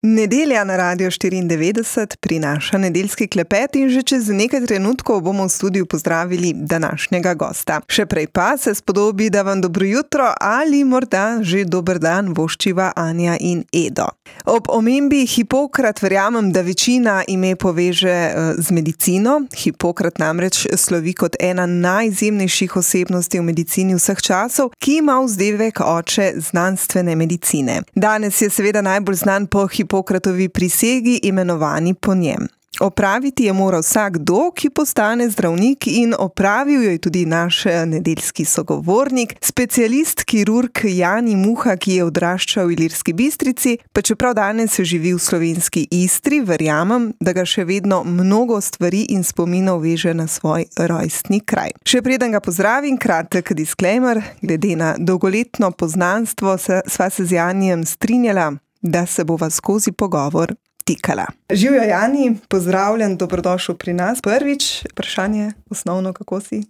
Nedelja na Radio 94 prinaša nedeljski klepet in že čez nekaj trenutkov bomo v studiu pozdravili današnjega gosta. Še prej pa se spodobi, da vam dobro jutro ali morda že dober dan voščiva Anja in Edo. Ob omembi Hipokrat verjamem, da večina ime poveže z medicino. Hipokrat namreč slovi kot ena najizjemnejših osebnosti v medicini vseh časov, ki ima vzdevek oče znanstvene medicine. Danes je seveda najbolj znan po Hipokratovi prisegi, imenovani po njem. Opraviti je moral vsakdo, ki postane zdravnik, in opravil jo je tudi naš nedeljski sogovornik, specialist kirurg Jani Muha, ki je odraščal v Ilirski Bistrici, pa čeprav danes živi v slovenski Istri, verjamem, da ga še vedno mnogo stvari in spominov veže na svoj rojstni kraj. Še preden ga pozdravim, kratek disclaimer, glede na dolgoletno poznanstvo sva se z Janijem strinjala, da se bova skozi pogovor tikala. Živjo Jani, pozdravljen, dobrodošel pri nas. Prvič, vprašanje osnovno, kako si?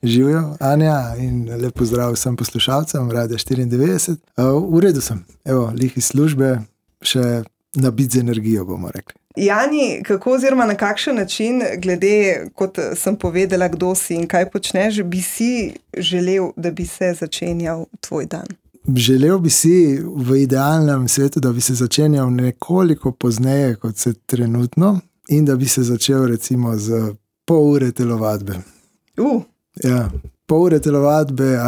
Živjo Anja in lep pozdrav vsem poslušalcem Radio 94. V redu sem, lih iz službe, še nabit z energijo, bomo rekli. Jani, kako oziroma na kakšen način, glede, kot sem povedala, kdo si in kaj počneš, bi si želel, da bi se začenjal tvoj dan? Želel bi si v idealnem svetu, da bi se začenjal nekoliko pozneje, kot se trenutno, in da bi se začel recimo z pol ure telovadbe. Ja, pol ure telovadbe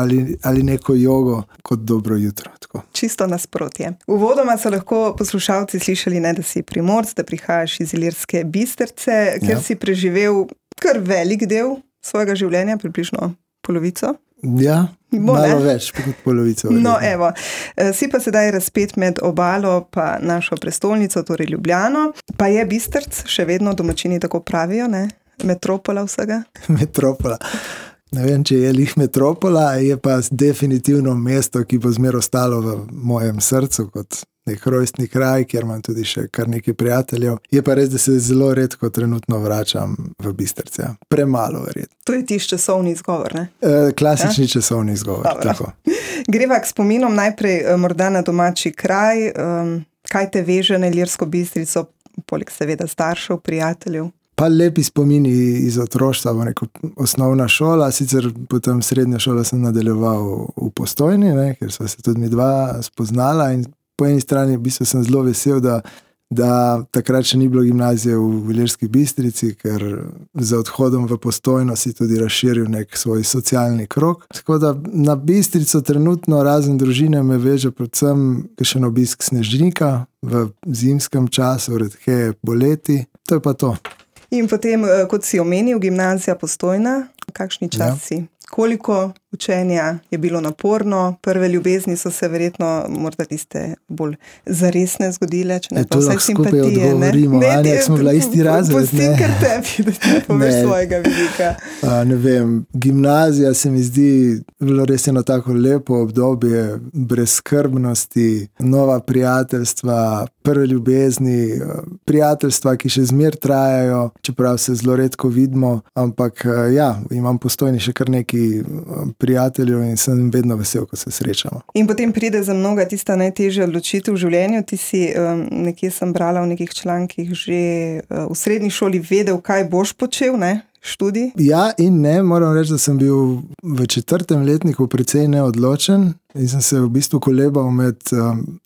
ali neko jogo kot dobro jutro. Tako. Čisto nasprotje. Uvodoma so lahko poslušalci slišali, da si Primorc, da prihajaš iz Ilirske Bistrice, kjer si preživel kar velik del svojega življenja, približno polovico. Ja, malo več kot polovico. No, evo, si pa sedaj razpet med obalo pa našo prestolnico, torej Ljubljano, pa je Bistrc še vedno, domačini tako pravijo, ne? Metropola vsega? Metropola. Ne vem, če je lih metropola, je pa definitivno mesto, ki bo zmer ostalo v mojem srcu kot nek rojstni kraj, kjer imam tudi še kar nekaj prijateljev. Je pa res, da se zelo redko trenutno vračam v Bistrce. Premalo verjetno. To je tiš časovni izgovor, ne? Klasični časovni izgovor. Tako. Greva k spominom najprej morda na domači kraj. Kaj te veže na Ilirsko Bistrico, poleg seveda staršev, prijateljev? Pa lepi spomini iz otroštva, osnovna šola, sicer potem srednjo šolo sem nadaljeval v Postojni, ker sva se tudi mi dva spoznala in po eni strani v bistvu sem zelo vesel, da takrat še ni bilo gimnazije v Ilirski Bistrici, ker za odhodom v Postojno si tudi razširil nek svoj socialni krog. Tako da na Bistrico trenutno razen družine me veže predvsem kakšen obisk Snežnika v zimskem času, redkeje poleti. To je pa to. In potem, kot si omenil, gimnazija Postojna, kakšni časi? Koliko učenja je bilo naporno? Prve ljubezni so se verjetno morda tiste bolj zaresne zgodile, če ne pa vse simpatije. To lahko skupaj odgovorimo, Anja, smo bila isti razred. Pustim kar tebi, da ti poveš svojega vidika. Ne vem, gimnazija se mi zdi bilo res eno tako lepo obdobje brezskrbnosti, nova prijateljstva, prve ljubezni, prijateljstva, ki še zmer trajajo, čeprav se zelo redko vidimo, ampak ja, imam Postojni še kar neki prijateljev in sem vedno vesel, ko se srečamo. In potem pride za mnoga tista najtežja odločitev v življenju. Ti si, nekje sem brala v nekih člankih, že v srednji šoli vedel, kaj boš počel, ne? Študij? Ja in ne, moram reči, da sem bil v 4. letniku precej neodločen in sem se v bistvu kolebal med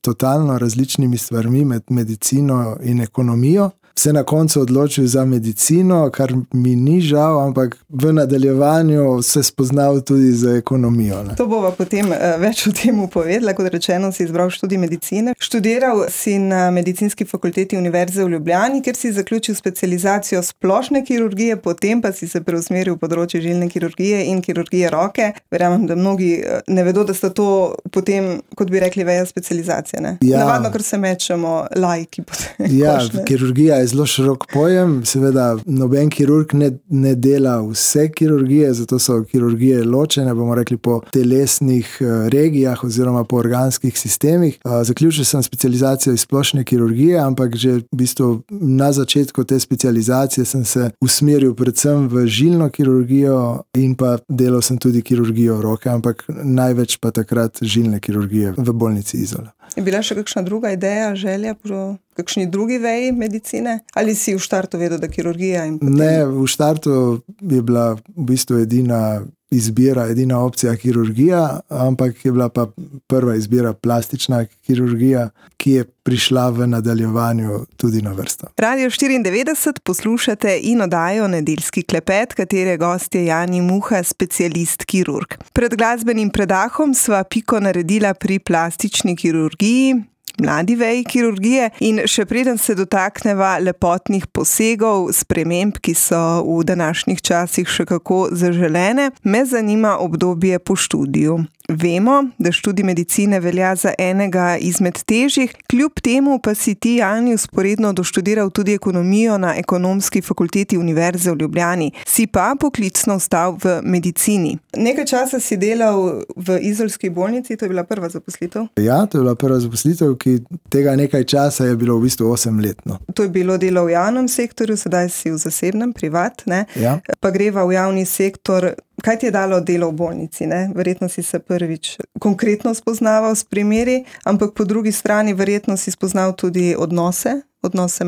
totalno različnimi stvarmi, med medicino in ekonomijo. Se na koncu odločil za medicino, kar mi ni žal, ampak v nadaljevanju se spoznal tudi za ekonomijo. Ne? To bova potem več o tem povedala. Kot rečeno, si izbral študij medicine. Študiral si na Medicinski fakulteti Univerze v Ljubljani, kjer si zaključil specializacijo splošne kirurgije, potem pa si se preusmeril v področje žilne kirurgije in kirurgije roke. Verjamem, da mnogi ne vedo, da sta to potem, kot bi rekli, veja specializacije. Ne? Ja. Navadno, ker se mečemo laiki. Ja, kirurgija je zelo širok pojem, seveda noben kirurg ne dela vse kirurgije, zato so kirurgije ločene, bomo rekli, po telesnih regijah oziroma po organskih sistemih. Zaključil sem specializacijo iz splošne kirurgije, ampak že v bistvu na začetku te specializacije sem se usmeril predvsem v žilno kirurgijo in pa delal sem tudi kirurgijo roke, ampak največ pa takrat žilne kirurgije v bolnici Izola. Je bila še kakšna druga ideja, želja po kakšni drugi veji medicine? Ali si v štartu vedel, da kirurgija? Ne, v štartu je bila v bistvu edina izbira, edina opcija kirurgija, ampak je bila pa prva izbira plastična kirurgija, ki je prišla v nadaljevanju tudi na vrsto. Radio 94 poslušate in oddajo Nedeljski klepet, katere gost je Jani Muha, specialist kirurg. Pred glasbenim predahom sva piko naredila pri plastični kirurgiji, mladi veji kirurgije, in še preden se dotakneva lepotnih posegov, sprememb, ki so v današnjih časih še kako zaželene, me zanima obdobje po študiju. Vemo, da študij medicine velja za enega izmed težjih, kljub temu pa si ti, Jani, vzporedno doštudiral tudi ekonomijo na Ekonomski fakulteti Univerze v Ljubljani. Si pa poklicno ostal v medicini. Nekaj časa si delal v izolski bolnici, to je bila prva zaposlitev? Ja, to je bila prva zaposlitev, ki tega nekaj časa je bilo v bistvu 8 let. No. To je bilo delo v javnem sektorju, sedaj si v zasebnem, privat, ne? Ja. Pa greva v javni sektor. Kaj ti je dalo delo v bolnici? Ne? Verjetno si se prvič konkretno spoznaval s primeri, ampak po drugi strani verjetno si spoznal tudi odnose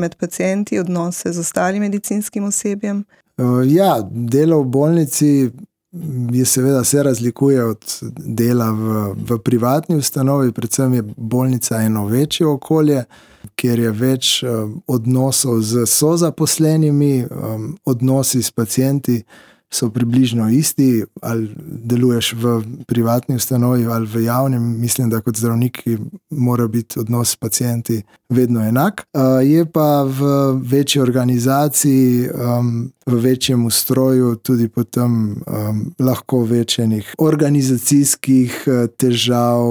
med pacienti, odnose z ostalim medicinskim osebjem. Ja, delo v bolnici je seveda se razlikuje od dela v privatni ustanovi, predvsem je bolnica eno večje okolje, kjer je več odnosov z sozaposlenimi, odnosi s pacienti so približno isti, ali deluješ v privatni ustanovi ali v javnem, mislim, da kot zdravnik mora biti odnos s pacienti vedno enak. Je pa v večji organizaciji, v večjem ustroju tudi potem lahko večjenih organizacijskih težav,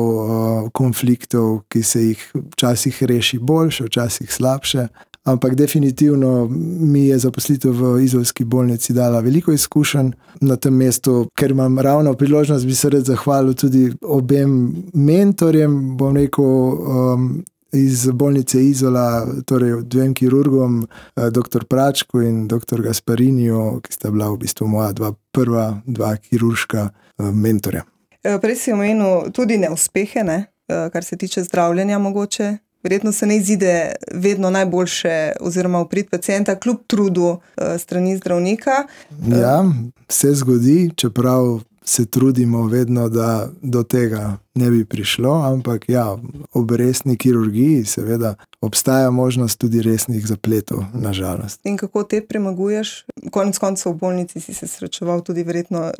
konfliktov, ki se jih včasih reši boljše, včasih slabše. Ampak definitivno mi je zaposlitev v izolski bolnici dala veliko izkušenj na tem mestu, ker imam ravno priložnost, bi se rad zahvalil tudi obem mentorjem, bom rekel, iz bolnice Izola, torej dvem kirurgom, dr. Pračku in dr. Gaspariniju, ki sta bila v bistvu moja prva dva kirurška mentorja. Prej si omenil tudi neuspehe, ne? Kar se tiče zdravljenja mogoče. Verjetno se ne izide vedno najboljše oziroma v prid pacienta, kljub trudu strani zdravnika. Ja, se zgodi, čeprav se trudimo vedno, da do tega ne bi prišlo, ampak ja, ob resni kirurgiji seveda obstaja možnost tudi resnih zapletov, nažalost. In kako te premaguješ? Konec koncev v bolnici si se srečeval tudi verjetno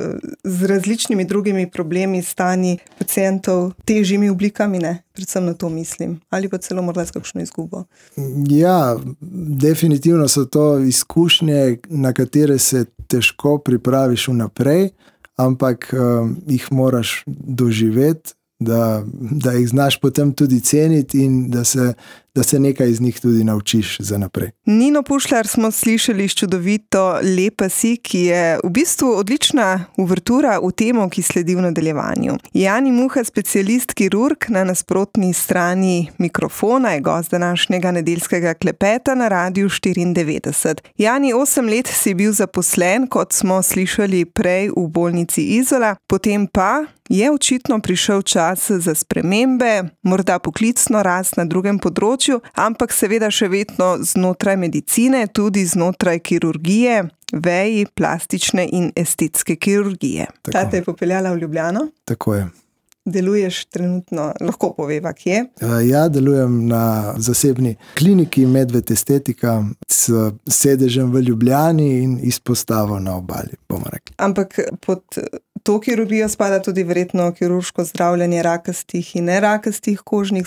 z različnimi drugimi problemi, stanji pacientov, težjimi oblikami, ne? Predvsem na to mislim. Ali pa celo morda s kakšno izgubo? Ja, definitivno so to izkušnje, na katere se težko pripraviš vnaprej, ampak jih moraš doživeti, da jih znaš potem tudi ceniti in da se nekaj iz njih tudi naučiš za naprej. Nino Pušlar smo slišali s čudovito Lepa si, ki je v bistvu odlična uvertura v temo, ki sledi v nadaljevanju. Jani Muha, specialist kirurg, na nasprotni strani mikrofona, je gost današnjega nedeljskega klepeta na Radiu 94. Jani, 8 let si bil zaposlen, kot smo slišali prej, v bolnici Izola, potem pa je očitno prišel čas za spremembe, morda poklicno rast na drugem področju, ampak seveda še vedno znotraj medicine, tudi znotraj kirurgije, veji plastične in estetske kirurgije. Ta te je popeljala v Ljubljano? Tako je. Deluješ trenutno, lahko poveva, kje? Ja, delujem na zasebni kliniki Medved Estetika s sedežem v Ljubljani in izpostavo na Obali, bomo rekli. Ampak pod to kirurgijo spada tudi verjetno kirurško zdravljenje rakastih in nerakastih kožnih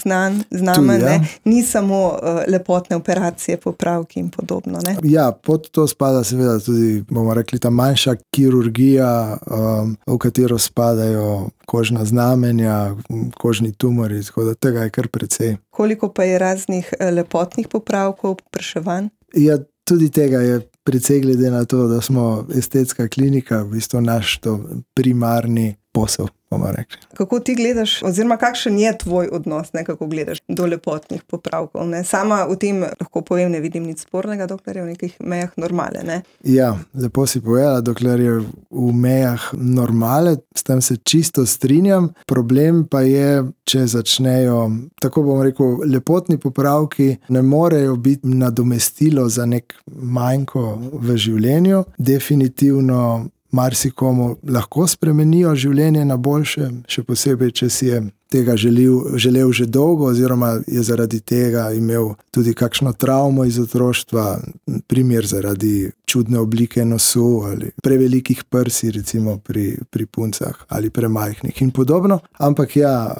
znamenj, ja. Ni samo lepotne operacije, popravki in podobno, ne? Ja, pod to spada seveda tudi, bomo rekli, ta manjša kirurgija, v katero spadajo kožna znamenja, kožni tumori, tako da tega je kar precej. Koliko pa je raznih lepotnih popravkov, popraševanj? Ja, tudi tega je precej, glede na to, da smo estetska klinika, v bistvu naš to primarni posel, bomo rekli. Kako ti gledaš, oziroma kakšen je tvoj odnos, kako gledaš do lepotnih popravkov? Ne? Sama v tem lahko povem, ne vidim nič spornega, dokler je v nekih mejah normale. Ne? Ja, lepo si povedala, dokler je v mejah normale, s tem se čisto strinjam. Problem pa je, če začnejo, tako bom rekel, lepotni popravki ne morejo biti nadomestilo za nek manjko v življenju. Definitivno marsikomu lahko spremenijo življenje na boljše, še posebej, če si je tega želel že dolgo oziroma je zaradi tega imel tudi kakšno travmo iz otroštva, primer zaradi čudne oblike nosu ali prevelikih prsi, recimo pri puncah ali premajhnih in podobno. Ampak ja,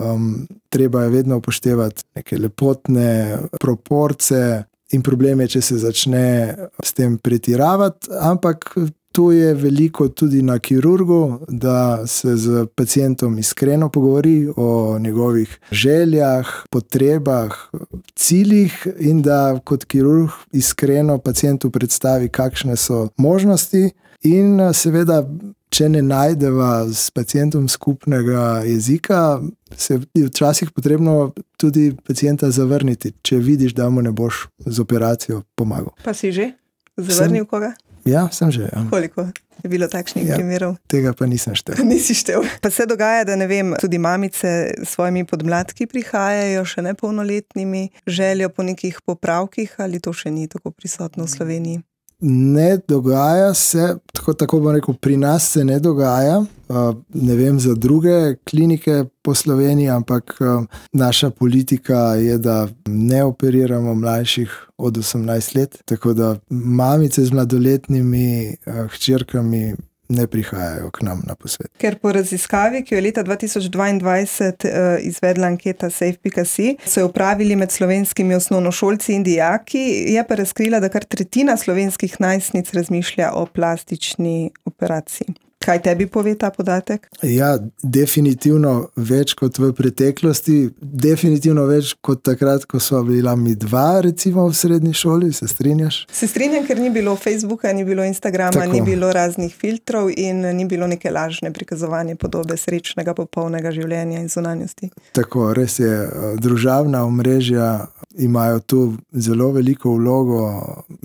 treba je vedno upoštevati neke lepotne proporce in problem je, če se začne s tem pretiravati, ampak tu je veliko tudi na kirurgu, da se z pacientom iskreno pogovori o njegovih željah, potrebah, ciljih in da kot kirurg iskreno pacientu predstavi, kakšne so možnosti in seveda, če ne najdeva s pacientom skupnega jezika, se je včasih potrebno tudi pacienta zavrniti, če vidiš, da mu ne boš z operacijo pomagal. Pa si že zavrnil koga? Ja, sem že. Ja. Koliko je bilo takšnih primerov? Tega pa nisem štel. Nisi štel. Pa se dogaja, da ne vem, tudi mamice s svojimi podmladki prihajajo, še nepolnoletnimi, željo po nekih popravkih, ali to še ni tako prisotno v Sloveniji? Ne dogaja se, tako bom rekel, pri nas se ne dogaja, ne vem za druge klinike po Sloveniji, ampak naša politika je, da ne operiramo mlajših od 18 let, tako da mamice z mladoletnimi hčerkami ne prihajajo k nam na posvet. Ker po raziskavi, ki jo je leta 2022 izvedla anketa Safe.si, so jo opravili med slovenskimi osnovnošolci in dijaki, je pa razkrila, da kar tretjina slovenskih najstnic razmišlja o plastični operaciji. Kaj tebi pove ta podatek? Ja, definitivno več kot v preteklosti, definitivno več kot takrat, ko sva bila mi dva, recimo v srednji šoli, se strinjaš? Se strinjam, ker ni bilo Facebooka, ni bilo Instagrama, tako. Ni bilo raznih filtrov in ni bilo neke lažne prikazovanje podobe srečnega, popolnega življenja in zunanjosti. Tako, res je, družabna omrežja imajo tu zelo veliko vlogo,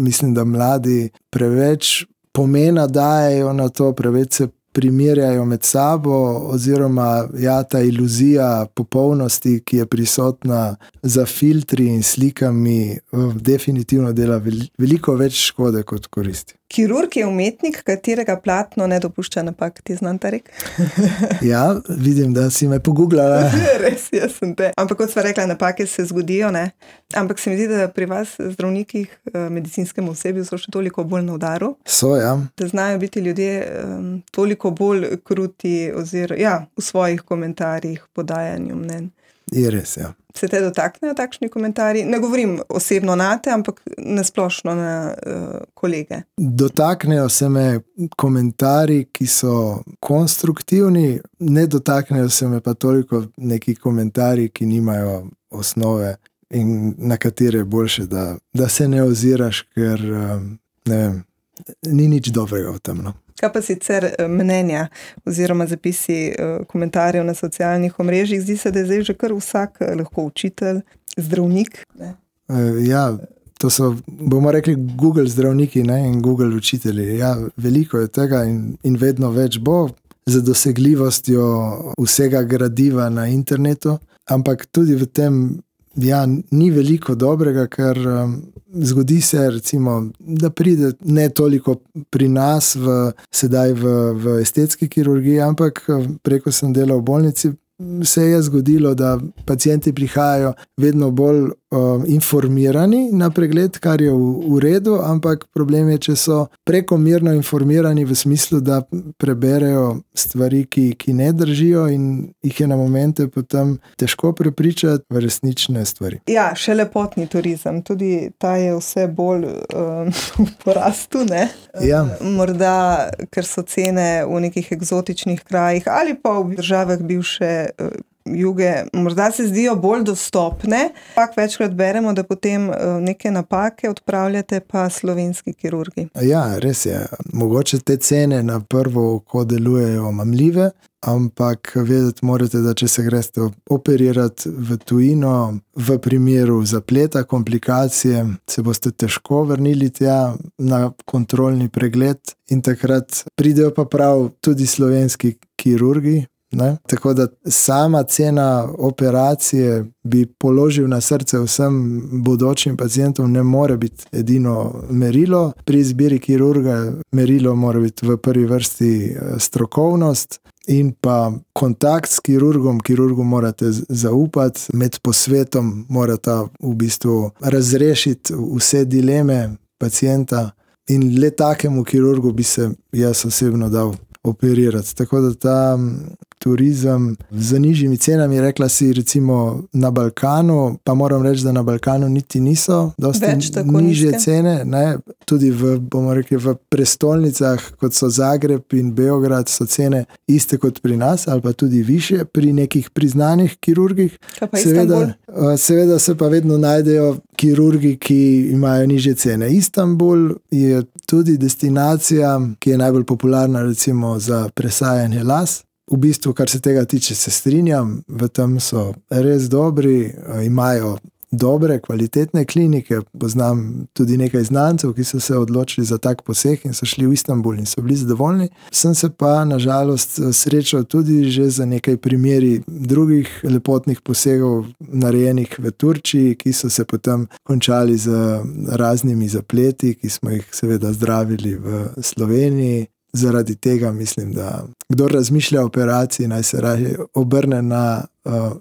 mislim, da mladi preveč pomena dajejo na to, preveč se primerjajo med sabo oziroma ta iluzija popolnosti, ki je prisotna za filtri in slikami, definitivno dela veliko več škode kot koristi. Kirurg je umetnik, katerega platno ne dopušča napak, ti znam ta rek? Ja, vidim, da si me pogooglala. Res, jaz sem te. Ampak kot sva rekla, napake se zgodijo, ne? Ampak se mi zdi, da pri vas, zdravnikih, medicinskemu osebju so še toliko bolj na udaru. So, ja. Da znajo biti ljudje toliko bolj kruti oziroma v svojih komentarjih, podajanju mnenj. Je res, ja. Se te dotaknejo takšni komentarji? Ne govorim osebno nate, ampak nasplošno na kolege. Dotaknejo se me komentarji, ki so konstruktivni, ne dotaknejo se me pa toliko neki komentarji, ki nimajo osnove in na katere je boljše, da se ne oziraš, ker ne vem, ni nič dobrega v tem. No. Kaj pa sicer mnenja oziroma zapisi komentarjev na socialnih omrežjih? Zdi se, da je zdaj že kar vsak lahko učitelj, zdravnik. Ne? Ja, to so, bomo rekli, Google zdravniki, ne, in Google učitelji. Ja, veliko je tega in vedno več bo za dosegljivostjo vsega gradiva na internetu, ampak tudi v tem ni veliko dobrega, ker zgodi se, recimo, da pride ne toliko pri nas sedaj v estetski kirurgiji, ampak preko sem delal v bolnici, se je zgodilo, da pacienti prihajajo vedno bolj informirani na pregled, kar je v redu, ampak problem je, če so prekomerno informirani v smislu, da preberejo stvari, ki ne držijo in jih je na momente potem težko prepričati v resnične stvari. Ja, še lepotni turizem, tudi ta je vse bolj v porastu, ne? Ja. Morda, ker so cene v nekih eksotičnih krajih ali pa v državah bivše juge morda se zdijo bolj dostopne, ampak večkrat beremo, da potem neke napake odpravljate pa slovenski kirurgi. Ja, res je. Mogoče te cene na prvo oko delujejo mamljive, ampak vedeti morate, da če se greste operirati v tujino, v primeru zapleta, komplikacije, se boste težko vrnili tja na kontrolni pregled in takrat pridejo pa prav tudi slovenski kirurgi. Ne? Tako da sama cena operacije bi položil na srce vsem bodočim pacientom, ne more biti edino merilo. Pri izbiri kirurga merilo mora biti v prvi vrsti strokovnost in pa kontakt s kirurgom. Kirurgu morate zaupati, med posvetom morate v bistvu razrešiti vse dileme pacienta in le takemu kirurgu bi se jaz osebno dal operirati. Tako da ta turizem z nižjimi cenami, rekla si recimo na Balkanu, pa moram reči, da na Balkanu niti niso dosti nižje cene, ne? Tudi bomo rekli, v prestolnicah, kot so Zagreb in Beograd, so cene iste kot pri nas, ali pa tudi višje pri nekih priznanih kirurgih. Seveda se pa vedno najdejo kirurgi, ki imajo nižje cene. Istanbul je tudi destinacija, ki je najbolj popularna recimo za presajanje las. V bistvu, kar se tega tiče, se strinjam, v tem so res dobri, imajo dobre, kvalitetne klinike. Poznam tudi nekaj znancev, ki so se odločili za tak poseg in so šli v Istanbul in so bili zadovoljni. Sem se pa nažalost srečal tudi že za nekaj primeri drugih lepotnih posegov narejenih v Turčiji, ki so se potem končali z raznimi zapleti, ki smo jih seveda zdravili v Sloveniji. Zaradi tega mislim, da kdor razmišlja o operaciji, naj se raje obrne na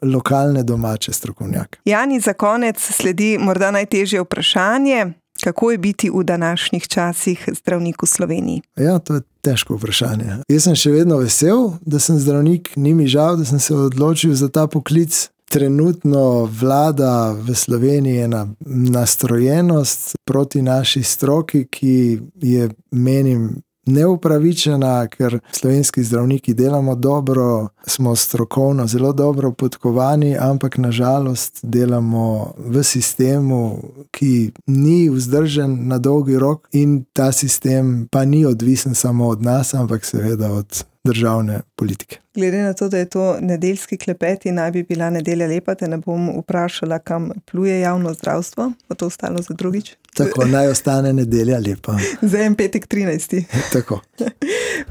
lokalne domače strokovnjake. Jani, za konec sledi morda najtežje vprašanje. Kako je biti v današnjih časih zdravnik v Sloveniji? Ja, to je težko vprašanje. Jaz sem še vedno vesel, da sem zdravnik, ni mi žal, da sem se odločil za ta poklic. Trenutno vlada v Sloveniji ena nastrojenost proti naši stroki, ki je, menim, neupravičena, ker slovenski zdravniki delamo dobro, smo strokovno zelo dobro podkovani, ampak nažalost delamo v sistemu, ki ni vzdržen na dolgi rok in ta sistem pa ni odvisen samo od nas, ampak seveda od državne politike. Glede na to, da je to nedeljski klepet in naj bi bila nedelja lepa, te ne bom vprašala, kam pluje javno zdravstvo, bo to ostalo za drugič. Tako, naj ostane nedelja lepa. Za en petek 13. Tako.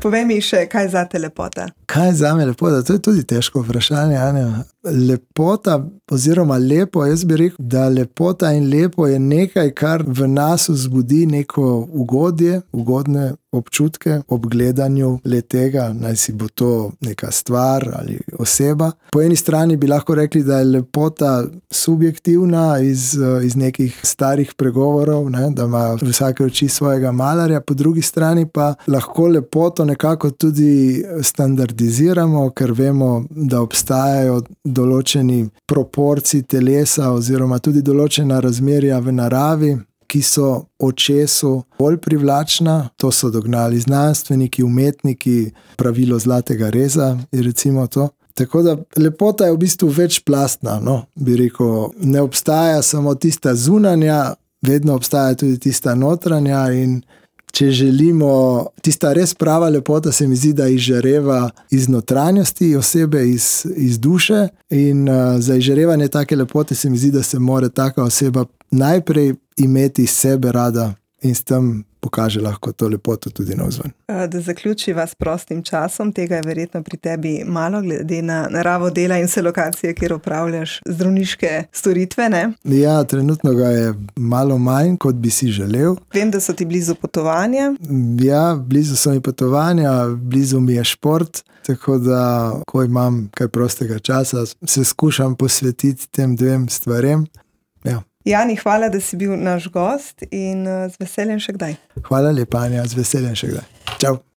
Povej mi še, kaj je zate lepota? Kaj je zame lepota? To je tudi težko vprašanje, Anja. Lepota oziroma lepo, jaz bi rekel, da lepota in lepo je nekaj, kar v nas vzbudi neko ugodje, ugodne občutke ob gledanju le-tega, naj si bo to neka stvar ali oseba. Po eni strani bi lahko rekli, da je lepota subjektivna iz nekih starih pregovorov, ne, da ima vsake oči svojega malarja, po drugi strani pa lahko lepoto nekako tudi standardiziramo, ker vemo, da obstajajo določeni proporciji telesa oziroma tudi določena razmerja v naravi, ki so očesu bolj privlačna. To so dognali znanstveniki, umetniki, pravilo zlatega reza je recimo to. Tako da lepota je v bistvu večplastna, no, bi rekel. Ne obstaja samo tista zunanja, vedno obstaja tudi tista notranja in če želimo, tista res prava lepota se mi zdi, da izžareva iz notranjosti osebe, iz duše in za izžarevanje take lepote se mi zdi, da se mora taka oseba najprej imeti iz sebe rada in s tem pokaže lahko to lepoto tudi navzven. Da zaključiva s prostim časom, tega je verjetno pri tebi malo, glede na naravo dela in vse lokacije, kjer opravljaš zdravniške storitve, ne? Ja, trenutno ga je malo manj, kot bi si želel. Vem, da so ti blizu potovanja. Ja, blizu so mi potovanja, blizu mi je šport, tako da, ko imam kaj prostega časa, se skušam posvetiti tem dvem stvarem. Ja. Jani, hvala, da si bil naš gost in z veseljem še kdaj. Hvala lepa, Anja, z veseljem še kdaj. Čau.